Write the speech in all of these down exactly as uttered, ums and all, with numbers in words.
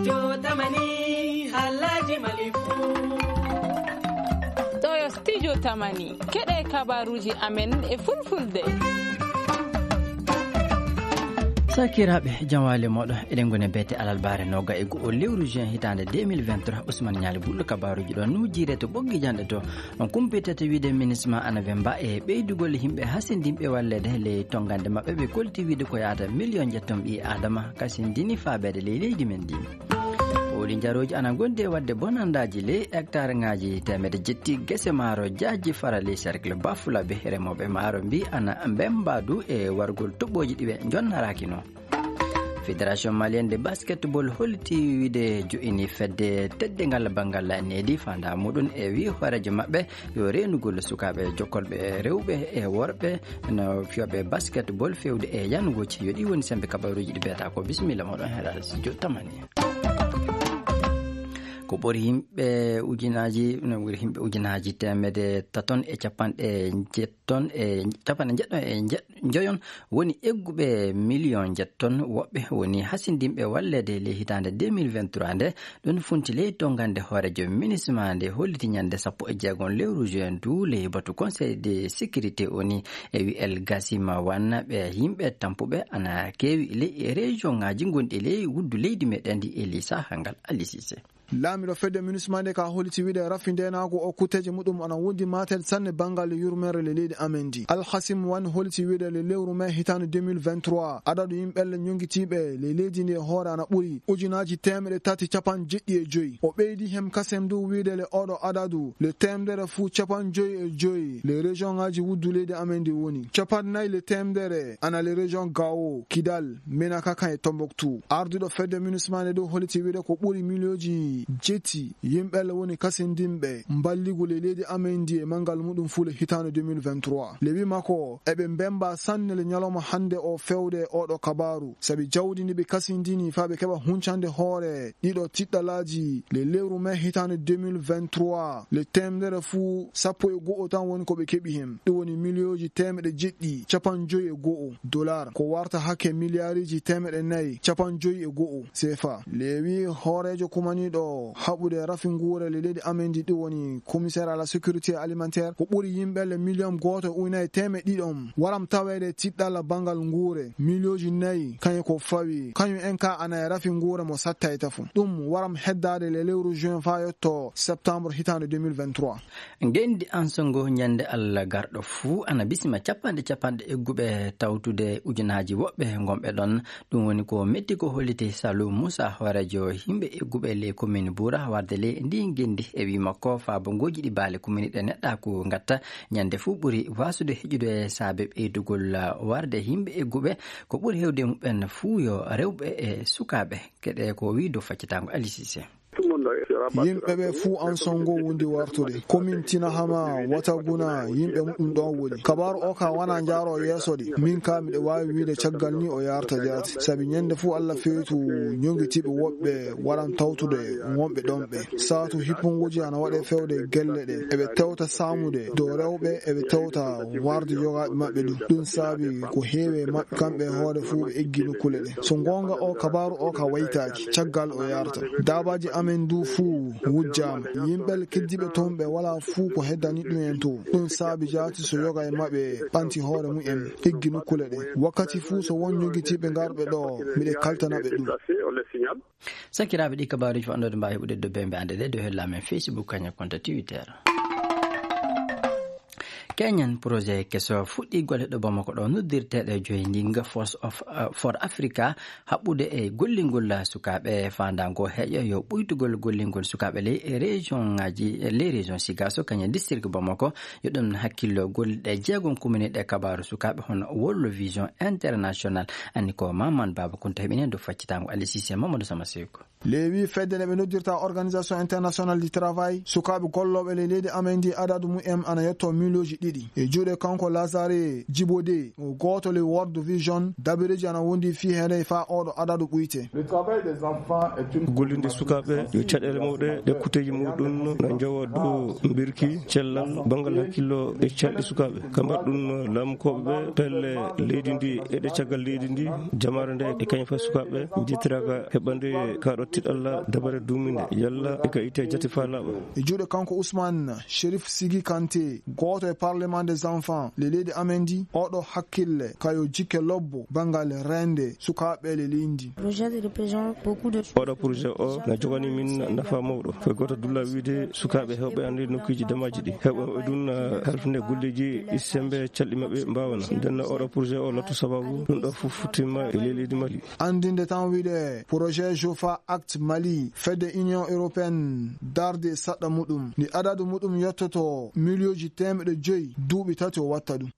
Jotamani, Alhaji Malifu. Ɗo yo Studio Tamani. Keɗe kabaruuji amen e fulfulde. Sakiraaɓe, jam waali mooɗon. Eɗen ngoni beete alarbaare nooga e go'o lewru juin hitaande deux mille vingt-trois. Ousmane Ñaali Bullo kabaruuji ɗo nujire to ɓoggi janɗe to. On kumpitata wiide minisma ana wemba e ɓeydugol yimɓe hasindinɓe walleede ley tongande maɓɓe, ɓe kolti wiide ko yaata miliyon jetton ɓii Adama kasindini faabeede ley leydi men ndi. Pooli njarooji ana ngondi e waɗde bonandaaji ley hectare ŋaaji teemedde jetti gese maaro jaaji fara ley cercle Bafulabe. Remooɓe maaro mbi ana mbemba du e wargol toɓɓooji ɗi ɓe njonnaraaki no. Fédération malienne de basketball holti wiide jo'ini fedde teddungal banngal needi fanda muɗum e wi hooreejo maɓɓe yo reenugol sukaaɓe jokkolɓe rewɓe e worɓe no fiyooɓe basketball fewde e yanugooji. Yo ɗi woni sembe kabaruuji ɗi mbiyata ko. Bisimilla moɗon heɗal studio Tamani. Ko ɓuri yimɓe ujunaaji, no ɓuri yimɓe ujunaaji teemedde taton e capanɗe njetton e capanɗe njeɗɗon e nje-, njoyon woni egguɓe miliyon njetton. Woɓɓe woni hasindinɓe walleede ley hitaande deux mille vingt-trois nde. Ɗum funti ley tongande hooreejo minisma nde holliti ñande sappo e jeegom lewru juin du ley batu Conseil de sécurité O N U e wi El Gasima Wan ɓe yimɓe tampuɓe ana keewi ley e région ŋaaji gonɗi ley wuddu leydi meɗen ndi e ley saha ngal. Ali Sise. Laamiɗo fedde minisma nde ka holiti wiide rafi ndenaagu o kutteeje muɗum ana wondi matel sanne banngal yurmeere le leydi amen ndi. Alhasim Wan holiti wiide le lewru mai hitaande deux mille vingt-trois, adadu yimɓe le ñongitiiɓe le leydi ndi e hoore ana ɓuri ujunaaji teemeɗe tati capanɗe jeɗɗi e joyi. O ɓeydi hem kasem du wiide le oɗo adadu le teemedere fuu capanɗe joyi e joyi le région ŋaaji wuddu leydi amen ndi woni. Capanɗe nayi le teemedere ana le région Gao, Kidal, Menaka kan e Tombouctou. Arduɗo fedde minisma nde du holiti wiide ko ɓuri miliyonji jetti yimɓe le woni kasindinɓe mballigu le leydi amen ndi e mangal muɗum fuu le hitaande deux mille vingt-trois. Le wi makko eɓe mbemba sanne le ñalawma hannde o fewde oɗo kabaru. Sabi jawdi ndi ɓe kasindini faa ɓe keɓa huncande hoore ɗiɗo tiɗɗalaaji le lewru mai hitaande deux mille vingt-trois, le teemedere fuu sappo e go'o tan woni ko ɓe keɓi hen. Ɗum woni miliyonji teemeɗe jeɗɗi capanɗe joyi e go'o dollar, ko warta hakke miliyariji teemeɗe nayi capanɗe joyi e go'o C F A. Le wi hooreejo kumaniiɗo haɓude rafi nguure le leydi amen ndi, ɗum woni commissaire à la sécurité alimentaire, ko ɓuri yimɓe le miliyon gooto e ujunaaji teemeɗɗe ɗiɗon waram taweede tiɗɗalla banngal nguure, miliyonji nayi kañum ko fawi, kañum en ka ana e rafi nguure mo sattay tafo. Ɗum waram heddaade le lewru juin faa yotto septembre hitaande deux mille vingt-trois. Ngenndi ansongo ñande Allah garɗo fuu ana bisima capanɗe capanɗe egguɓe tawtude ujunaaji woɓɓe ngonɓe ɗon. Ɗum woni ko metti ko holliti Salou Moussa, hooreejo yimɓe egguɓe ley commune Boura warde ley ndi ngenndi. E wi makko, faabongooji ɗi baale commune ɗe neɗɗaaku ngatta ñande fuu ɓuri waasude heƴude saabe ɓeydugol warde yimɓe egguɓe. Ko ɓuri hewde muɓɓen fuu yo rewɓe e sukaaɓe. Keɗe ko wi dow faccitaango Ali Cissé. Yimɓe ɓe fuu an songo wondi wartude. Komin Tina Hama Wataguna yimɓe muɗum ɗon woni. Kabaaru o ka wana njaaro yeeso de. Min ka miɗo waawi wiide caggal ni o yarta jaati. Sabi ñande fuu Allah feetu ñongitiiɓe woɓɓe waran tawtude wonɓe ɗon ɓe. Saatu hippunguji ana waɗe fewde gelle ɗe. Eɓe tewta saamude dow rewɓe, eɓe tewta warde yogaaɓe maɓɓe ɗum. Ɗum saabi ko heewe maɓɓe kamɓe hoore fuu ɓe eggi nokkuule ɗe. So goonga o kabaaru o ka waytaaki, caggal o yarta. Daabaaji amen du fuu wujjaama. Yimɓe keddiiɓe toon ɓe walaa fuu ko heddani ɗum en to. Ɗum saabi jaati so yoga e maɓɓe ɓanti hoore mum en, eggi nokkuule ɗe. Wakkati fuu so won ñogitiiɓe ngarɓe ɗo, miɗe kaltana ɓe ɗum. Sakiraaɓe, ɗi kabaaruuji fanɗoode mbaawi heɓude dow bembe ande ɗe dow hella men Facebook kañum konto Twitter. Kenyan projet keso fuɗɗi golle ɗo Bamako ɗo noddirteeɗo joyi ndinga Force of, uh, for Africa haɓɓude e gollingol sukaaɓe faandaango heƴa yo ɓuytugol gollingol sukaaɓe ley e région ngaji, ley région Sigaso kañum district Bamako. Yo ɗum hakkillo golle ɗe jeegom kumini ɗe kabaaru sukaaɓe hono World Vision International. Anni ko Maman Baba Kunta heɓini dow faccitango Ali Cissé Mamadou Sama Seko. Lewi fedde nde ɓe noddirta Organisation Internationale du Travail, sukaaɓe gollooɓe ley leydi amen ndi adadu mumen ana yetto miliyonji ɗiɗi. E juuɗe kanko Lazare Jibode, o gooto ley World Vision, dabireeji ana wondi fii hene faa oɗo adadu ɓuyte. Le travail des enfants est une Gollinde sukaaɓe yo caɗeele mawɗe ɗe kuteeji muɗum na njowa dow mbirki, cellal, banngal hakkillo e canɗi sukaaɓe. Ka mbaɗɗun laamukooɓe ɓe pelle leydi ndi e ɗe caggal leydi ndi, jamaare nde e kañum fay sukaaɓe njettiraka heɓande kaɗo Tiɗalla dabare duuminde, yalla e ka itte jate faa laaɓa. E juuɗe kanko Ousmane Chérif Sigi Kanté, gooto e Parlement des enfants, le leydi amen ndi, oɗo hakkille kayo jikke lobbo banngal reende sukaaɓe le leydi ndi. Oɗo projet o na jogani min nafa mawɗo. Ko gooto dulla wiide sukaaɓe heewɓe annde nokkuuji damaaji ɗi. Heewɓe heewɓe ɗum na halfinde golleeji sembe calɗi maɓɓe mbaawana. Nden oɗo projet o lattu sababu ɗum ɗo fof futtima e ley leydi Mali. Anndinde tan wiide projet Jofa Act Mali, fedde Union Européenne darde e saɗɗa muɗum. Ndi adadu muɗum yottoto miliyooji teemeɗe joyi, duuɓi tati o watta ɗum.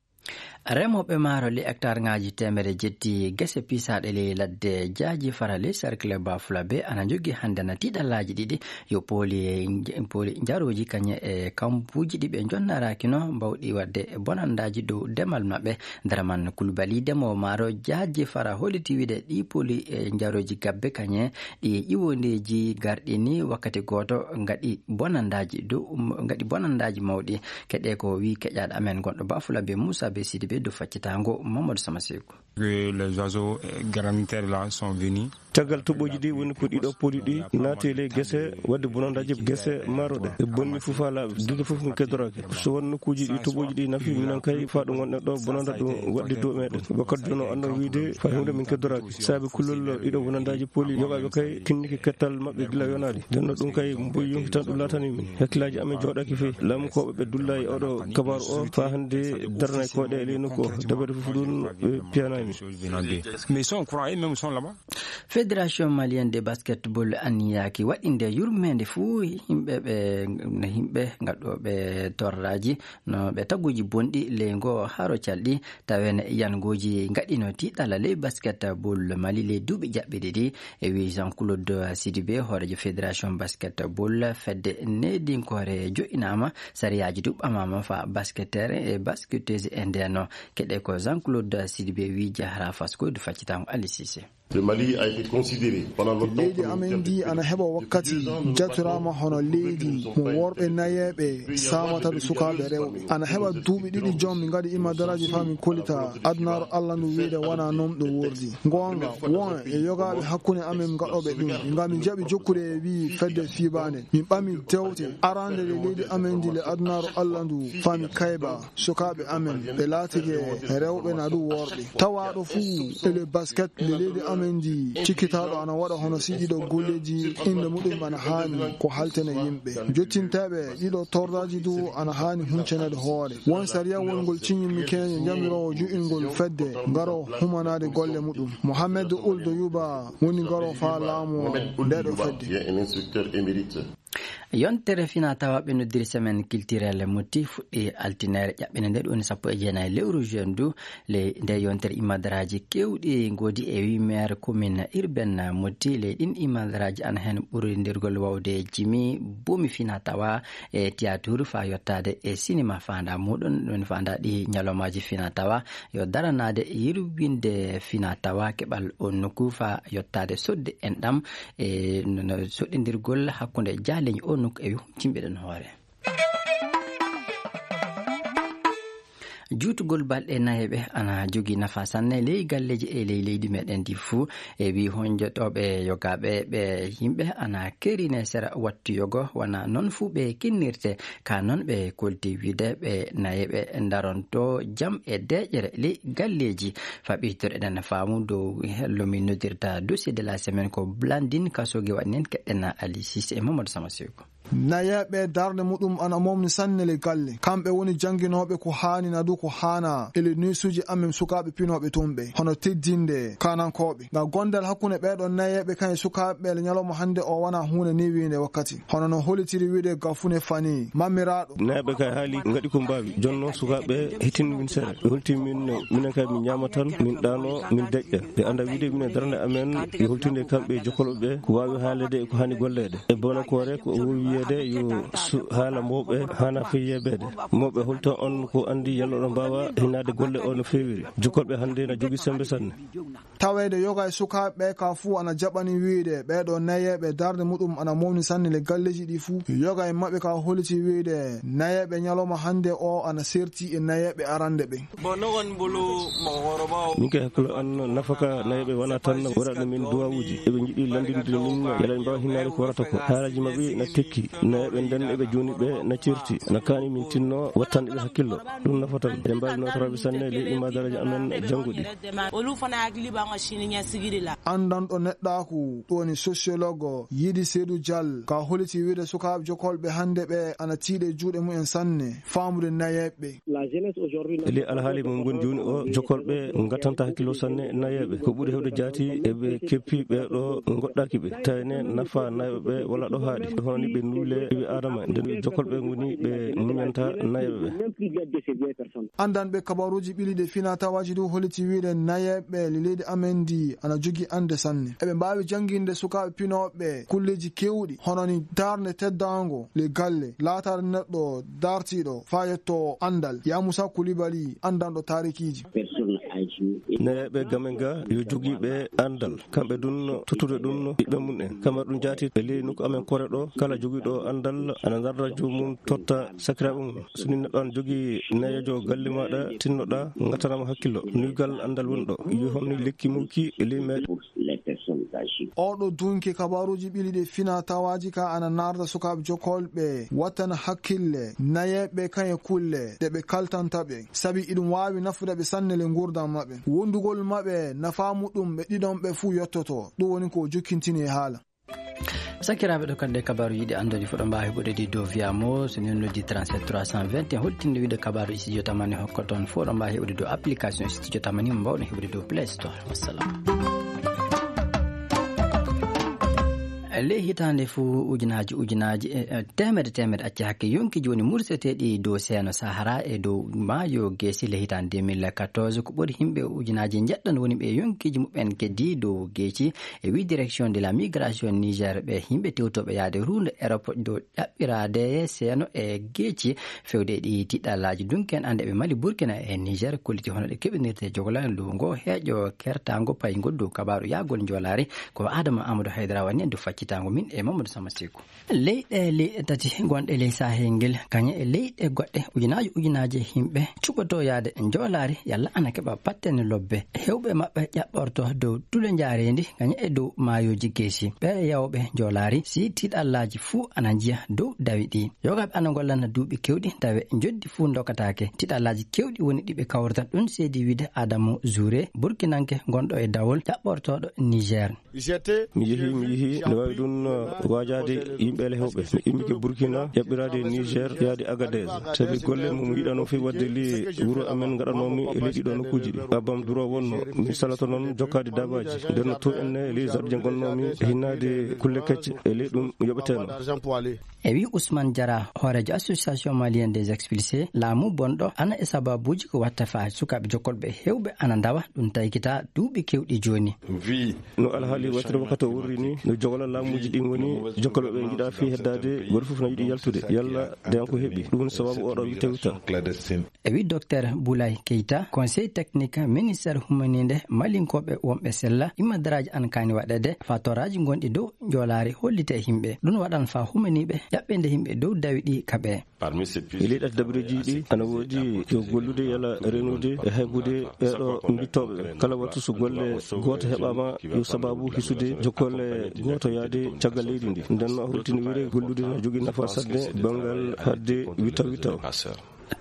Remooɓe maaro le hectare ŋaaji teemere jetti gese piisaaɗe ley ladde jaaji fara ley cercle Bafulabe ana njogii hannde na tiiɗallaaji ɗiɗi yo pooli, pooli njarooji kañe e kambuuji ɗi ɓe njonnaraakino mbawɗi waɗde bonandaaji dow demal maɓɓe. Daraman Kulbali, demoowo maaro jaaji fara, holliti wiide ɗi pooli e njarooji gabbe kañe ɗi ƴiwondeeji garɗi ni wakkati gooto ngaɗi bonandaaji dow, ngaɗi bonandaaji mawɗi. Keɗe ko wi keƴaaɗo amen gonɗo Bafulabe Moussa Be Sidibé dow faccitaango Mamadou Sama Seku. Que les oiseaux, euh, granitaires là sont venus. Caggal toɓɓooji ɗi woni ko ɗiɗo pooli ɗi naati e ley gese, waɗde bonandaaji gese maaro ɗe. E bonni fof haa laaɓi, duɗe fof min keddoraaki. So won nokkuuji ɗi toɓɓooji ɗi nafi, minen kay faa ɗo ngonɗen ɗo bonanda ɗum waɗde dow meɗen. Wakkati jooni o annoo wiide faa himde min keddoraaki. Saabe kullol ɗiɗo bonandaaji pooli yoɓaaɓe kay tinnike kettal maɓɓe gila yonaade. Nden no ɗum kay mboyi yonki tan ɗum laatani min. Hakkillaaji amen jooɗaaki fey. Laamukooɓe ɓe dulla e oɗo kabaaru o faa hannde darnay koyɗe e ley nokku o. Dabare fof ɗum ɓe piyanaami. Mais ils sont au courant, eux-mêmes sont là-bas. Fédération malienne de basketball anniyaaki waɗinde yurmeende fuu yimɓe ɓe, yimɓe ngaɗooɓe torraaji no ɓe taguuji bonɗi ley ngoo haro calɗi, tawen yangooji ngaɗino tiiɗalla ley basketball Mali ley duuɓi jaɓɓiɗi ɗi. E wi Jean-Claude Sidibé, hooreejo fédération basketball, fedde needinkoore jo'inaama, sariyaaji du ɓamaama fa basketteur e basketteuse e ndeno. Keɗe ko Jean-Claude Sidibé wi jahra faskoydu faccitango Ali Cissé. Le Mali a été considéré pendant longtemps. Leydi comme amen ndi ana heɓa wakkati jatoraama hono leydi mo worɓe nayeeɓe saamata ɗo sukaaɓe rewɓe. Ana heɓa duuɓi ɗiɗi jom min ngaɗi imadaraaji faa min kollita adunaaru Allah ndu wiide wona noon ɗum wordi. Ngoonga, won e yogaaɓe hakkunde amen ngaɗooɓe ɗum. Ngam min jaɓi jokkude e wi fedde fiibaande. Min ɓami dewte arande le leydi amen ndi le adunaaru Allah ndu faa mi kayba. Sukaaɓe amen, ɓe laatike rewɓe na ɗum worɓe. Tawaaɗo fuu e le basket nde leydi amen ndi, cikkitaaɗo ana waɗa hono si ɗiɗo golleeji innde muɗum ana haani ko haltene yimɓe. Jottinteeɓe ɗiɗo tordaaji du ana haani huncanede hoore. Won sariya wongol ciñimmi keñe jamiroowo ju'ingol fedde ngaro humanaade golle muɗum. Mohamed Ould Youbaa woni ngaro faa laamu nde ɗo fedde. Yontere fina tawa ɓe noddiri semaine culturelle Motti fuɗɗi altinere ƴaɓɓende nde ɗum woni sappo e jeenayi lewru juin ndu. Le nde yontere imadaraaji kewɗi ngoodi e wi maire commune urbaine Motti. Le ɗin imadaraaji ana heen ɓurindirgol wawde jimi boomi fina tawa e théâtre faa yottaade e cinéma faanda muɗum. Ɗum faanda ɗi ñalawmaaji fina tawa yo daranaade yirwinde fina tawa keɓal on nokku faa yottaade sodde enɗam e no, no soɗɗindirgol hakkunde jaaleñi o nokku e humtimɓe ɗon hoore. Juutugol balɗe nayeeɓe ana jogii nafa sanne ley galleeji e ley leydi meɗen ndi fuu. E wi honjotooɓe yogaaɓe ɓe yimɓe ana kerine sera wattu yogo, wana noon fuu ɓe kinnirte. Ka noon ɓe kolti wiide ɓe nayeeɓe ndaronto jam e deeƴere ley galleeji. Faɓitor eɗen faamu dow hello min noddirta dossier de la semaine ko Blandine Kasoge waɗi nen keɗɗen Ali Cissé e Mamadou Sama Seko. Nayeeɓe darnde muɗum ana momni sanne le galle. Kamɓe woni jannginooɓe ko haani na du ko haana e le neesuuji amen sukaaɓe pinooɓe tumɓe, hono teddinde kaanankooɓe. Ngam gondal hakkunde ɓeeɗo nayeeɓe kan e sukaaɓe ɓe le ñalawma hannde o wona huunde newiinde wakkati. Hono no hollitiri wiide Gafune Fani, mammiraaɗo. Nayeeɓe kay haali ngaɗi ko mbaawi. Jonno sukaaɓe hittin min sere. Ɓe holti min, minen kay min ñaama tan, min ɗaano, min deƴƴa. Ɓe annda wiide minen darnde amen, ɓe holtinde kamɓe jokkolɓe ɓe, ko waawi haalede e ko haani golleede. E Bonokoore ko o wowi Yeede yo su-, haala mawɓe hana fii yeebeede. Mawɓe holto on ko anndi yalla ɗo mbaawa hinaade golle o no feewiri. Jokkolɓe hannde na jogi sembe sanne. Taweede yoga e sukaaɓe ɓe ka fuu ana jaɓani wiide ɓeeɗo nayeeɓe darnde muɗum ana mawni sanne le galleeji ɗi fuu. Yoga e maɓɓe ka holiti wiide nayeeɓe ñalawma hannde o ana serti e nayeeɓe arande ɓe. Min kay hakkilo an nafaka nayeeɓe wana tan waɗaɗo min duwawuuji. Eɓe njiɗi lanndinde min yala ɓe mbaawa hinnaade ko warata ko. Haalaji maɓɓe na tekki. Nayeeɓe nden eɓe jooni ɓe na certi. Na kaani min tinno wattande ɓe hakkillo. Ɗum nafatan. Eɗen mbaawi nootoraaɓe sanne ley ɗum daraja amen jannguɗi. Anndanɗo neɗɗaaku, ɗum woni sociologue, Yidi Seydou Dial, ka holiti wiide sukaaɓe jokkolɓe hannde ɓe ana tiiɗe juuɗe mumen sanne, faamude nayeeɓe. Eli alhaali mo ngon jooni o, jokkolɓe ngattanta hakkillo sanne nayeeɓe. Ko ɓuri hewde jaati eɓe keppi ɓe ɗo ngoɗɗaaki ɓe. Tawne nafa nayeeɓe ɓe wala ɗo haaɗi. Hono ni ɓe nuule ɓiɓɓe Aadama, nden jokkolɓe ngoni ɓe muñanta nayeeɓe ɓe. Anndanɓe kabaruuji ɓiliiɗe fina tawaaji du holiti wiide nayeeɓe leydi amen ndi ana jogi annde sanne. Eɓe mbaawi jannginde sukaaɓe pinooɓe kulleeji keewɗi, hono ni darnde teddaango le galle, laataade neɗɗo dartiiɗo faa yetto anndal. Ya Musa Kulibali, anndanɗo taarikiiji. Nayeeɓe gamen ga yo jogiiɓe anndal. Kamɓe dun tottude ɗum ɓiɓɓe mum en. Kamar ɗum jaati e ley nokku amen kore ɗo, kala jogiiɗo anndal ana darda joomum totta sakiraaɓe mum. So ni neɗɗo an jogii nayeejo galle maaɗa, tinnoɗaa, ngattanama hakkillo. Nuygal anndal woni ɗo. Yo homni lekki mukki e ley meɗe. Oɗo dunki kabaruuji ɓiliiɗe fina tawaaji ka ana narda sukaaɓe jokkolɓe wattana hakkille nayeeɓe kañe kulle ɗe ɓe kaltanta ɓe. Sabi iɗum waawi nafude ɓe sanne le nguurndam maɓɓe. Wondugol maɓɓe nafaa muɗum ɓe ɗiɗon ɓe fuu yottoto. Ɗum woni ko o jokkintini e haala. Sakiraaɓe, ɗo kadi kabaaruuji ɗi anndori fof ɗo mbaawi heɓude ɗi dow Via Mo, so min noddi trente-sept trois cent vingt et un, holtinde wiide kabaaruuji studio tamani hokka toon fof ɗo mbaawi heɓude dow application studio tamani mo mbawɗon heɓude dow Play Store. Wassalam. Ley hitaande fof ujunaaji, ujunaaji, e, e, teemedde, teemedde acci hakke yonkiiji woni murseteeɗi dow seeno Sahara e dow maayo Geesi ley hitaande deux mille quatorze. Ko ɓuri yimɓe ujunaaji njeɗɗo woni ɓe yonkiiji muɓɓen keddi dow geeci. E wi direction de la migration Niger, ɓe yimɓe tewtooɓe yaade ruundo Europe dow ɗaɓɓiraade seeno e geeci fewde e ɗi tiɗɗalaaji dunki en annde ɓe Mali, Burkina e Niger, kolliti hono ɗe keɓinirte jogola ndu ngo heeƴo kertaango payngol dow kabaaru yaagol njoolaari. Ko Adama Amadou Haydara wani en dow faccitaango min e Mamadou Sama Seku. Leyɗe, leyɗe tati gonɗe ley Sahel ngel, kañe e leyɗe goɗɗe, ujunaaji, ujunaaji yimɓe cuɓotoo yaade njoolaari, yalla ana keɓa battane lobbe. Heewɓe maɓɓe ƴaɓɓorto dow duule njaareendi, kañe e dow maayooji geesi. Ɓe yawɓe njoolaari, si tiɗallaaji fuu ana njiya dow dawi ɗi. Yogaaɓe ana ngollana duuɓi keewɗi, tawe njoddi fuu ndokataake. Tiɗallaaji keewɗi woni ɗi ɓe kawrata. Ɗum seedi wiide Adamu Zuure, Burkinanke gonɗo e dawol, ƴaɓɓortooɗo Niger. Mi yehi, mi yehi, no waawi ɗum, uh, waajaade yimɓe ele heewɓe. Mi immike Burkina, ƴaɓɓiraade Niger, yaade Agadez. Sabi golle mum yiɗano fii waɗde li wuro amen ngaɗanoomi e leydi ɗo nokkuuji ɗi. Babam duro wonno, mi salata noon jokkaade daabaaji. Nden no to enne ley jardin gonnoomi, hinnaade kulle kecce, e ley ɗum yoɓeteno. E wi Ousmane Diarra, hooreejo Association Malienne des Expulsés, laamu bonɗo ana e sababuuji ko watta faa sukaaɓe jokkolɓe heewɓe ana ndawa, ɗum taykita duuɓi keewɗi jooni. No alhaali wattata wakkati o worri ni, no jogola laamuuji ɗin woni, jokkolɓe ɓe njiɗa fii heddaade, gooto fof na yiɗi yaltude, yalla deyan ko heɓi. Ɗum woni sababu oɗo witta witta. E wi Docteur Boulaye Keita, conseil technique ministère humaniinde malinkooɓe wonɓe sella, imma daraaji an kaani waɗeede, faa toraaji gonɗi dow njoolaari hollite e yimɓe. Ɗum waɗan faa humaniiɓe ƴaɓɓinde yimɓe dow dawi ɗi kaɓe. E ley ɗati dabareeji ɗi, ana woodi yo gollude yalla renude e haybude ɓeeɗo mbittooɓe ɓe. Kala wattu so golle gooto heɓaama, yo sababu hisude jokkolle gooto yaade caggal leydi ndi. Nden no a hultini wire gollude no jogii nafa sanne banngal haɗde witta witta o.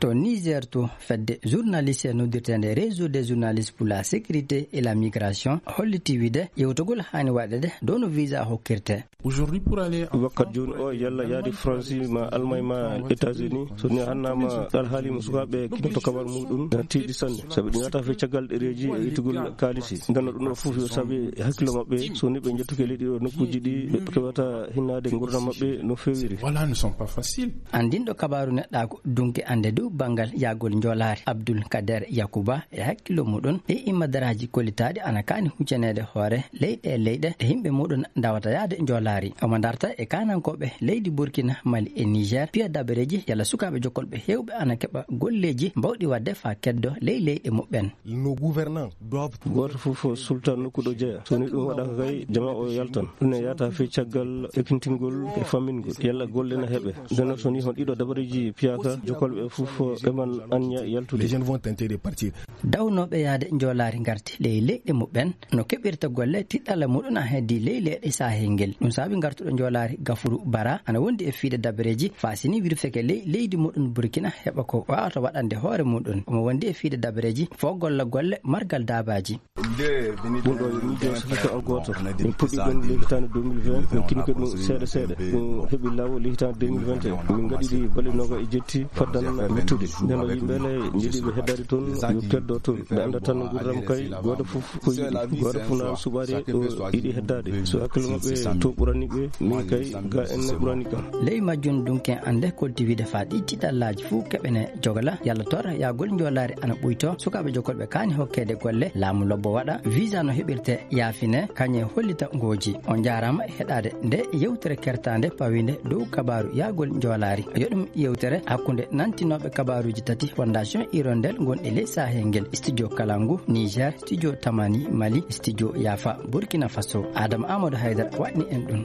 To Niger to, fedde journaliste noddirteende Réseau des journalistes pour la sécurité et la migration holliti wiide yewtogol haani waɗeede dow no visa hokkirte. Wakkati jooni o, yalla yaade France ma Allemagne ma États-Unis, so ni hannaama alhaali mo sukaaɓe kinoto kabar muɗum, na tiiɗi sanne. Sabi ɗi ngata fe caggal ɗereeji e itugol kaalisi. Nden no ɗum ɗo fof yo sabi hakkilo maɓɓe, so ni ɓe njettuke leydi ɗo nokkuuji ɗi, ɓe keɓata hinnaade ngurdam maɓɓe no feewiri. Voilà, ne sont pas faciles. Anndinɗo kabaaru neɗɗaaku dunki annde Dow banngal yahgol njoolaari, Abdul Kader Yakuba e hakkillo muɗum, ɗi immadaraaji kollitaaɗi ana kaani huccaneede hoore leyɗe e leyɗe ɗe yimɓe muɗum ndawata yahde njoolaari. Omo darta e kaanankooɓe leydi Burkina, Mali e Niger, piya dabareeji yalla sukaaɓe jokkolɓe heewɓe ana keɓa golleeji mbawɗi waɗde faa keddo ley leyɗe muɓɓen. Gooto fof sulta nokku ɗo jeya. So woni ɗum waɗaaka kay, jama o yaltan. Ɗum ne yahata fii caggal ekkintingol e fammingol. Yalla golle na heɓe. Ndeno so woni hon ɗiɗo dabareeji piyaaka, jokkolɓe fof ɓe man anniya yaltude. Dawnooɓe yahde njoolaari ngarti ley leyɗe muɓɓen no keɓirta golle, tiɗɗalla muɗum a heddii ley leyɗe sahel ngel. Ɗum saabi ngartuɗo njoolaari Gafuru Bara ana wondi e fiide dabareeji faa si ni wirfeke ley leydi muɗum Burkina heɓa ko waawata waɗande hoore muɗum. Omo wondi e fiide dabareeji fof golla golle margal daabaaji. Ɗum ɗo yo miijo safika o gooto. Min puɗɗi ɗum ley hitaande deux mille vingt, min kinike ɗum seeɗa seeɗa. Ɗum heɓi laawol ley hitaande deux mille vingt et un. Min ngaɗi ɗi balɗe noogaas e jetti faddan wittude. Nden o yimɓe le njiɗiiɓe heddaade toon, yo keddo toon. Ɓe annda tan nguurndam kay, gooto fof ko yiɗi. Gooto fof na suɓaade o yiɗi heddaade. So hakkille maɓɓe to ɓurani ɓe, min kay ga en ne ɓurani kam. Ley majjum dunken annde kolti wiide faa ɗi tiɗallaaji fof keɓene jogla, yalla tor yahgol njoolaari ana ɓuyto, sukaaɓe jokkolɓe kaani hokkeede golle, laamu lobbo waɗa, visa no heɓirte yaafine, kañum e hollita ngooji. On njaaraama e heɗaade nde yewtere kertaande pawiinde dow kabaaru yahgol njoolaari. Yo ɗum yewtere hakkunde nantinooɓe kabaaruuji tati Fondation Hirondelle gonɗi ley sahel ngel, Studio Kalangu Niger, Studio Tamani Mali, Studio Yafa Burkina Faso. Adama Amadou Haydara waɗni en ɗum.